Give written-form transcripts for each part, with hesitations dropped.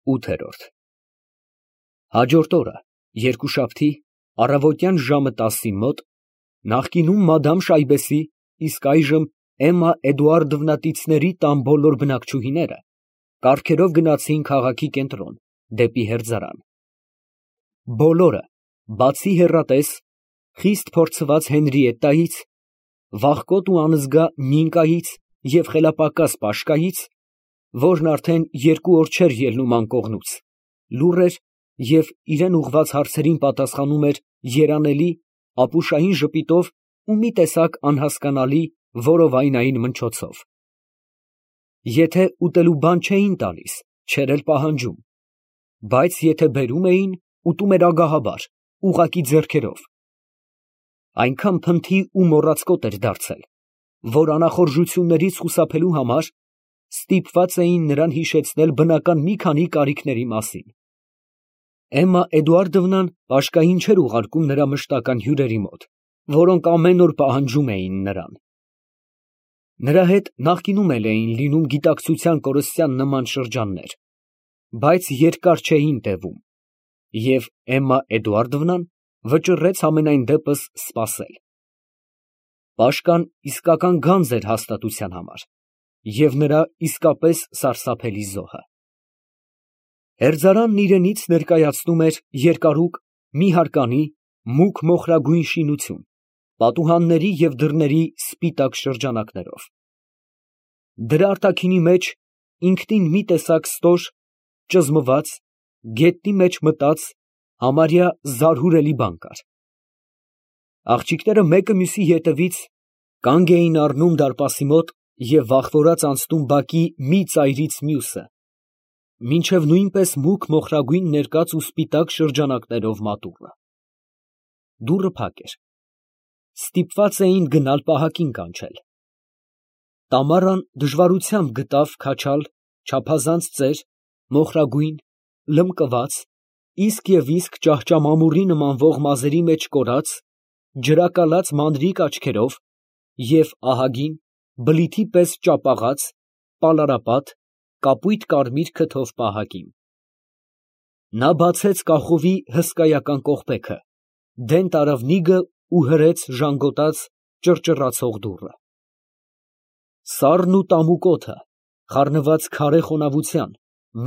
8։ Հաջորդ օրը, երկուշաբթի, առավոտյան ժամը 10-ի մոտ, նախկինում մադամ Շայբեսի, իսկ այժմ Էմմա Էդուարդովնա տան բոլոր բնակչուհիները կառքերով գնացին քաղաքի կենտրոն, դեպի հերձարան։ Բոլորը, բացի հեռատես, խիստ փորձված Հենրիետտայից, վախկոտ ու անզգա Նինկայից և խելապակաս Պաշկայից, որն արդեն 2 օր չէր ելնում անկողնուց, լուռ էր և իրան ուղղված հարցերին պատասխանում էր երանելի, ապուշային ժպիտով ու մի տեսակ անհասկանալի որովայնային մնչոցով։ Եթե ուտելու բան չէին տալիս, չէր էլ պահանջում, բայց եթե բերում էին, ուտում էր ագահաբար, ուղղակի ձեռքերով։ Այնքան փնթի ու մոռացկոտ էր դարձել, որ անախորժություններից խուսափելու համար ստիպված էին նրան հիշեցնել բնական մի քանի կարիքների մասին։ Էմմա Էդուարդովնան Պաշկային չէր ուղարկում նրա մշտական հյուրերի մոտ, որոնք ամեն օր պահանջում էին նրան։ Նրա հետ նախկինում էլ էին լինում գիտակցության կորստյան նման շրջաններ, բայց երկար չէին տևում, և Էմմա Էդուարդովնան վճռեց համենայն դեպս սպասել։ Պաշկան իսկական գանձ էր հաստատության համար և նրա իսկապես սարսափելի զոհը։ Հերձարանն իրենից ներկայացնում էր երկարուկ մի հարկանի մուգ մոխրագույն շինություն, պատուհանների և դռների սպիտակ շրջանակներով։ Դրա արտաքինի մեջ ինքնին մի տեսակ ստոր, ճզմված, գետնի մեջ մտած, համարյա զարհուրելի բան կար։ Աղջիկները մեկը մյուսի ետևից կանգ էին առնում դարպասի մոտ և վախվորած անցնում բակի մի ծայրից մյուսը, մինչև նույնպես մուգ մոխրագույն ներկած ու սպիտակ շրջանակներով մատուռը։ Դուռը փակ էր։ Ստիպված էին գնալ պահակին կանչել։ Տամարան դժվարությամբ գտավ քաչալ, չափազանց ծեր, մոխրագույն, լմկված, իսկ և իսկ ճահճամամուռի նմանվող մազերի մեջ կորած, ջրակալած մանրիկ աչքերով և ահագին, բլիթի պես ճապաղած, պալարապատ, կապույտ կարմիր քթով պահակին։ Նա բացեց կախովի հսկայական կողպեքը, դեն տարավ նիգը ու հրեց ժանգոտած, ճռճռացող դուռը։ Սառն ու տամուկ օդը, խառնված քարե խոնավության,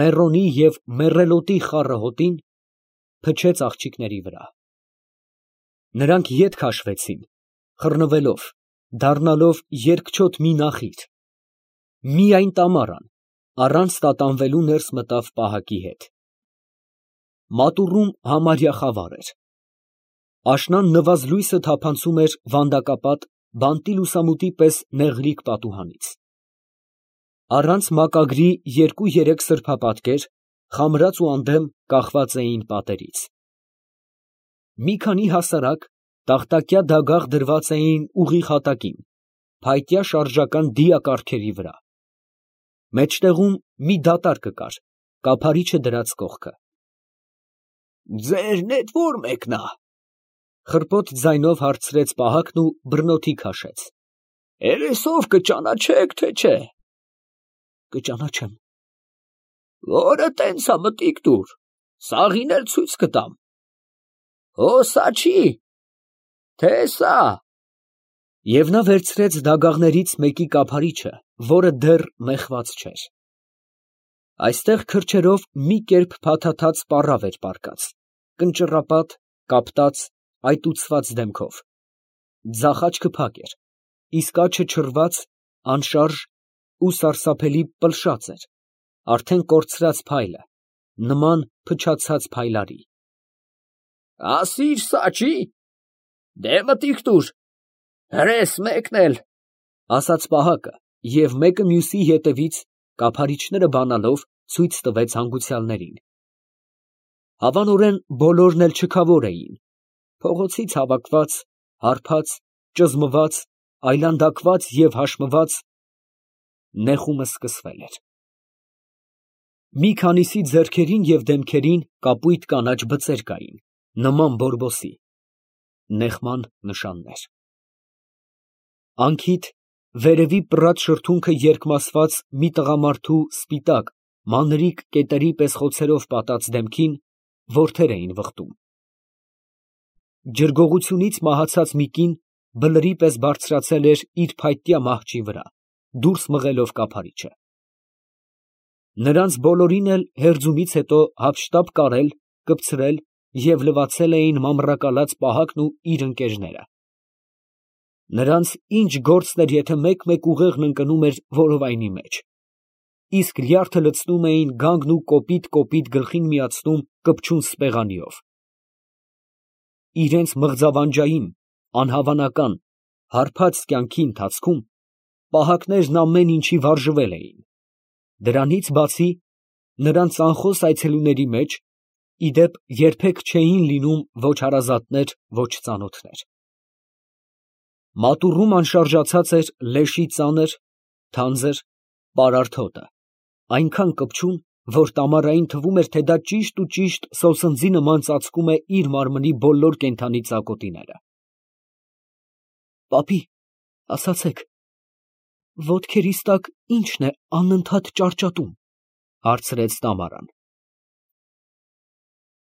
մեռոնի և մեռելոտի խառը հոտին, փչեց աղջիկների վրա։ Նրանք ետ քաշվեցին, խռնվելով, դառնալով երկչոտ մի նախիր։ Միայն Տամարան առանց տատանվելու ներս մտավ պահակի հետ։ Մատուռում համարյա խավար էր։ Աշնան նվազլույսը թափանցում էր վանդակապատ, բանտի լուսամուտի պես նեղլիկ պատուհանից։ Առանց մակագրի 2-3 սրբապատկեր, խամրած ու անդեմ, կախված էին պատերից։ Մի քանի հասարակ, տախտակյա դագաղ դրված էին ուղիղ հատակին, փայտյա շարժական դիակառքերի վրա։ Մեջտեղում մի դատարկ կար, կափարիչը դրած կողքը։ «Ձերն էդ ո՞ր մեկն ա» խռպոտ ձայնով հարցրեց պահակն ու բռնոթի քաշեց։ «Երեսով կճանաչե՞ք, թե չէ»։ «Կճանաչեմ»։ «Որը տենց ա, մտիկ տուր, սաղին էլ ցույց կտամ»։ «Սա չի, թե սա»։ Եվ նա վերցրեց դագաղներից մեկի կափարիչը, որը դեռ մեխված չէր։ Այստեղ քրջերով մի կերպ փաթաթած պառավ էր պառկած, կնճռապատ, կապտած, այտուցված դեմքով։ Ձախ աչքը փակ էր, իսկ աջը չռված, անշարժ ու սարսափելի պլշած էր, արդեն կորցրած փայլը, նման փչացած փայլարի։ «Ասի՛ր, սա չի, դե մտիկ տուր, հրես մեկն էլ», ասաց պահակը և մեկը մյուսի ետևից, կափարիչները բանալով, ցույց տվեց հանգուցյալներին։ Հավանորեն բոլորն էլ չքավոր էին, փողոցից հավաքված, հարբած, ճզմված, այլանդակված և հաշմված, նեխումը սկսվել էր։ Մի քանիսի ձեռքերին և դեմքերին կապույտ կանաչ բծեր կային, նման բորբոսի, նեխման նշաններ։ Անքիդ, վերևի պռած շրթունքը երկմասված մի տղամարդու սպիտակ, մանրիկ կետերի պես խոցերով պատած դեմքին որդեր էին վխտում։ Ջրգողությունից մահացած մի կին բլրի պես բարձրացել էր իր փայտյա մահճի վրա, դուրս մղելով կափարիչը։ Նրանց բոլորին էլ հերձումից հետո հափշտապ կարել, կպցրել և լվացել էին մամռակալած Պահակն ու իր ընկերները։ Նրանց ինչ գործն էր, եթե մեկ-մեկ ուղեղն ընկնում էր որովայնի մեջ, իսկ լյարդը լցնում էին գանգն ու կոպիտ գլխին միացնում կպչուն սպեղանիով։ Իրենց մղձավանջային, անհավանական, հարբած կյանքի ընթացքում պահակներն ամեն ինչի վարժվել էին։ Դրանից բացի, նրանց անխոս այցելուների մեջ, ի դեպ, երբեք չէին լինում ոչ հարազատներ, ոչ ծանոթներ։ Մատուռում անշարժացած էր լեշի ծանր, թանձր, պարարտ հոտը, այնքան կպչուն, որ տամարային թվում էր, թե դա ճիշտ սոսնձի նման ծածկում է իր մարմնի բոլոր կենդանի ծակոտիները։ Պապի, ասացեք, ոտքերիս տակ ի՞նչն է անընդհատ ճարճատում, հարցրեց Տամարան։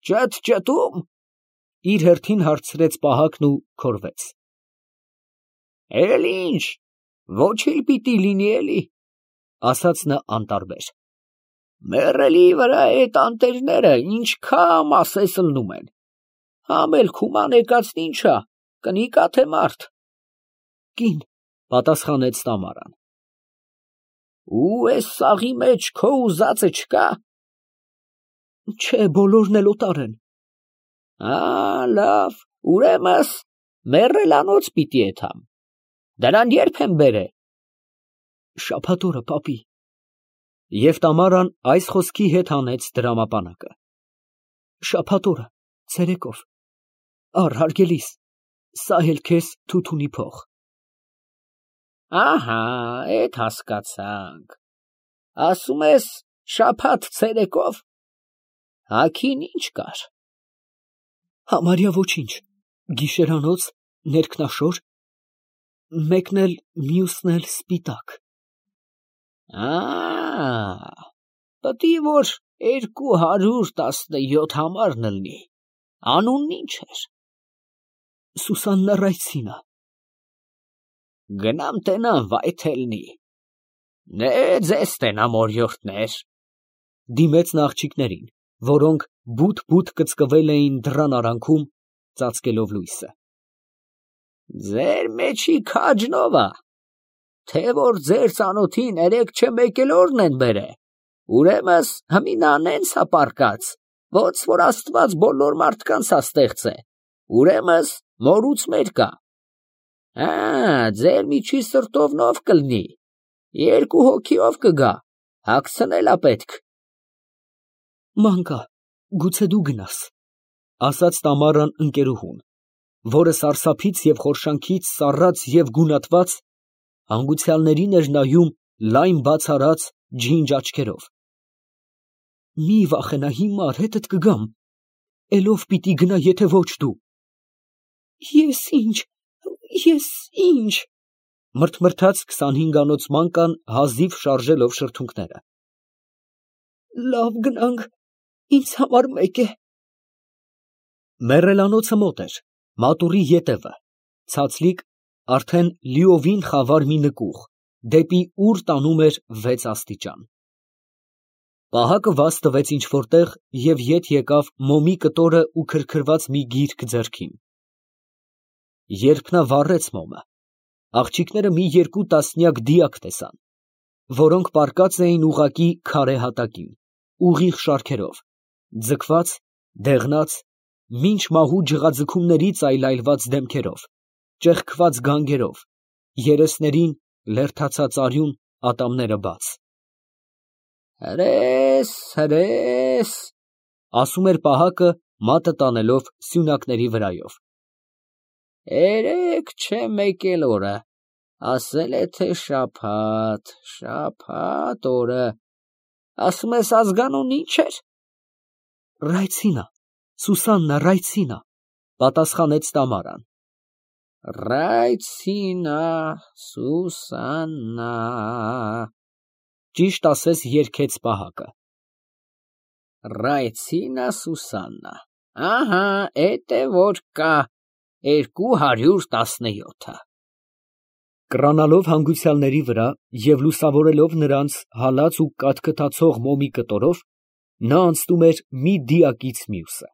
Ճթում, իր հերթին հարցրեց Պահակն ու քորվեց։ Էլ ինչ, ոչիլ պիտի լինի էլի, ասաց նա անտարբեր։ Մեռելի վրա այդ անտերները ինչքան ասես լնում են։ Համել քուման եկածն ինչա, կնիկա թե մարդ։ Կին, պատասխանեց Տամարան։ Ու էս սաղի մեջ քո ուզածը չկա։ Չէ, բոլորն էլ օտար են։ Լավ, ուրեմն մեռելանոց պիտի եթամ։ Դրան երբ եմ բերե։ Շաբաթ օրը, պապի։ Եվ Տամարան այս խոսքի հետ հանեց դրամապանակը։ Շաբաթ օրը, ցերեկով։ Առ հարգելիս, սա էլ քեզ թութունի փող։ Ահա, էդ հասկացանք։ Ասում ես շաբաթ ցերեկով։ Հագին ինչ կար։ Համարյա ոչինչ, գիշերանոց, ներքնաշոր, մեկն էլ մյուսն էլ սպիտակ։ Պտի որ 217 համարն լինի։ Անունն ինչ էր։ Սուսաննա Ռայցինա։ Գնամ տենամ վայթելնի։ Ձեզ տենամ օրիորդներ։ Դիմեց նա աղջիկներին, որոնք բութ կծկվել էին դռան արանքում, ծածկելով լույսը։ Ձեր մեջի քաջնովա, թե որ ձեր ծանոթին 3 օրն են բերե, ուրեմն հմինան ենցա պարկած, ոնց որ Աստված բոլոր մարդկանց ստեղծե, ուրեմն մորուց մեր կա։ Ձեր միջի սրտով նով կլնի, 2 հոգիով կգա, հագցնելա պետք։ Մանկա, գուցե դու գնաս, ասաց Տամարան ընկերուհուն, որը սարսափից և խորշանքից սառած և գունատված հանգուցյալներին էր նայում լայն բաց արած ջինջ աչքերով։ Մի վախենա, հիմար հետդ կգամ, էլով պիտի գնա, եթե ոչ դու։ Ես ինչ, մրթմրթաց 25-անոց մանկան հազիվ շարժելով շրթունքները։ Լավ գնանք, ինձ համար մեկ է։ Մեռելանոցը մոտ էր, մատուռի ետևը, ցածլիկ, արդեն լիովին խավար մի նկուղ, դեպի ուր տանում էր 6 աստիճան։ Պահակը վազ տվեց ինչ-որ տեղ և ետ եկավ մոմի կտորը ու քրքրված մի գիրք ձեռքին։ Երբ նա վառեց մոմը, աղջիկները մի 2 տասնյակ դիակ տեսան, որոնք պառկած էին ուղղակի քարե հատակին, ուղիղ շարքերով, ձգված, դեղնած, մինչ մահու ջղաձգումներից այլայլված դեմքերով, ճեղքված գանգերով, երեսներին լերդացած արյուն, ատամները բաց։ Հրես, ասում էր Պահակը, մատը տանելով սյունակների վրայով։ 3 չէ մեկ էլ օրը, ասել է թե շաբաթ օրը, ասում ես ազգանուն ինչ էր։ Ռայցինա, Սուսաննա Ռայցինա, պատասխանեց Տամարան։ Ռայցինա, Սուսաննա, ճիշտ ասես երգեց Պահակը։ Ռայցինա Սուսաննա, ահա, էդ է որ կա 217-ը։ Կռանալով հանգուցյալների վրա և լուսավորելով նրանց հալած ու կաթկթացող մոմի կտորով, նա անցնում էր մի դիակից մյուսը։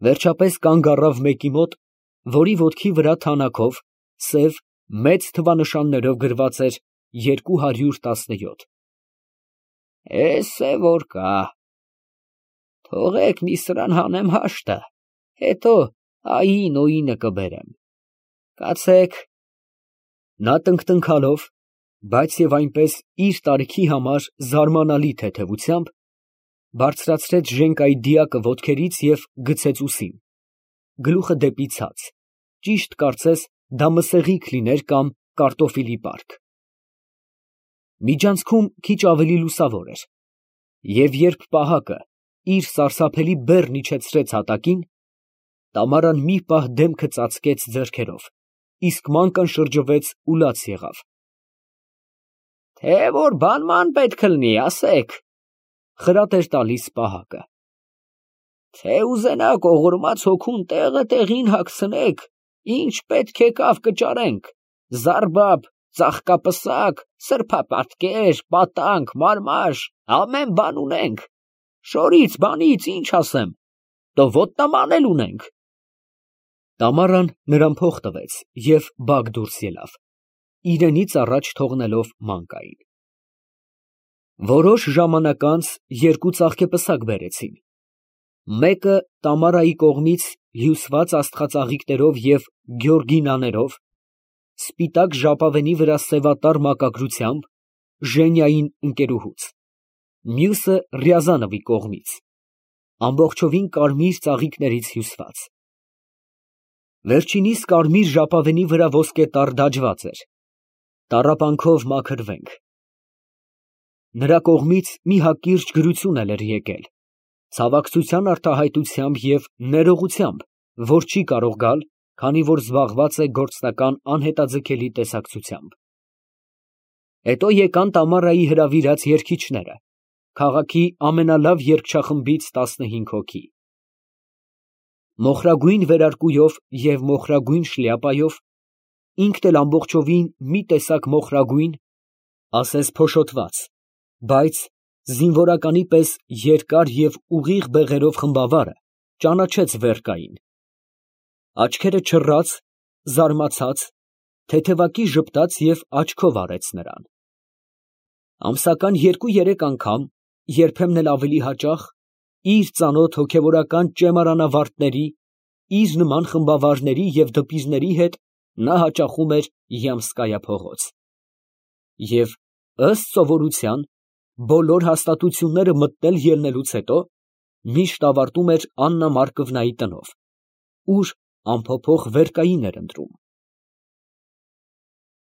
Վերջապես կանգ առավ մեկի մոտ, որի ոտքի վրա թանաքով, սև, մեծ թվանշաններով գրված էր 217։ Էս է որ կա։ Թողեք մի սրան հանեմ հաշտը, հետո ային օինը կբերեմ։ Կացեք։ Նա տնկտնքալով, բայց և այնպես իր տարիքի համար զարմանալի թեթևությամբ, բարձրացրեց ժենկայի դիակը ոտքերից և գցեց ուսին, գլուխը դեպի ցած, ճիշտ կարծես դա մսեղիկ լիներ կամ կարտոֆիլի պարկ։ Միջանցքում քիչ ավելի լուսավոր էր, և երբ պահակը իր սարսափելի բեռն իջեցրեց հատակին, Տամարան մի պահ դեմքը ծածկեց ձեռքերով, իսկ մանկան շրջվեց ու լաց եղավ։ Թե որ բանման պետք կլինի, ասեք, խրատ էր տալիս պահակը։ Թե ուզենաք օղորմած հոգուն տեղը տեղին հագցնեք, ինչ պետք է կավ կճարենք, զարբապ, ծաղկապսակ, սրբապատկեր, պատանք, մարմաշ, ամեն բան ունենք, շորից, բանից, ինչ ասեմ, տո ոտնաման էլ ունենք։ Տամարան նրան փող տվեց և բակ դուրս ելավ, իրենից առաջ թողնելով մանկային։ Որոշ ժամանակ անց երկու ծաղկեպսակ բերեցին, մեկը Տամարայի կողմից հյուսված աստղածաղիկներով և գյորգինաներով, սպիտակ ժապավենի վրա սևատար մակագրությամբ, Ժենյային ընկերուհուց, մյուսը Ռյազանովի կողմից, ամբողջովին կարմիր ծաղիկներից հյուսված։ Վերջինիս կարմիր ժապավենի վրա ոսկետառ դաջված էր, տառապանքով մաքրվենք։ Նրա կողմից մի հակիրճ գրություն էլ էր եկել, ցավակցության արտահայտությամբ և ներողությամբ, որ չի կարող գալ, քանի որ զբաղված է գործնական անհետաձգելի տեսակցությամբ։ Հետո եկան Տամարայի հրավիրած երգիչները, քաղաքի ամենալավ երգչախմբից 15 հոգի։ Մոխրագույն վերարկուով և մոխրագույն շլյապայով, ինքն էլ ամբողջովին մի տեսակ մոխրագույն, ասես փոշոտված, բայց զինվորականի պես երկար և ուղիղ բեղերով խմբավարը ճանաչեց Վերկային։ Աչքերը չռած, զարմացած, թեթևակի ժպտաց և աչքով արեց նրան։ Ամսական 2-3 անգամ, երբեմն էլ ավելի հաճախ, իր ծանոթ հոգևորական ճեմարանավարտների, իր նման խմբավարների և դպիրների հետ նա հաճախում էր Յամսկայա փողոց։ Եվ, ըստ սովորության, բոլոր հաստատությունները մտնել ելնելուց հետո, միշտ ավարտում էր Աննա Մարկովնայի տնով, ուր անփոփոխ Վերկային էր ընտրում։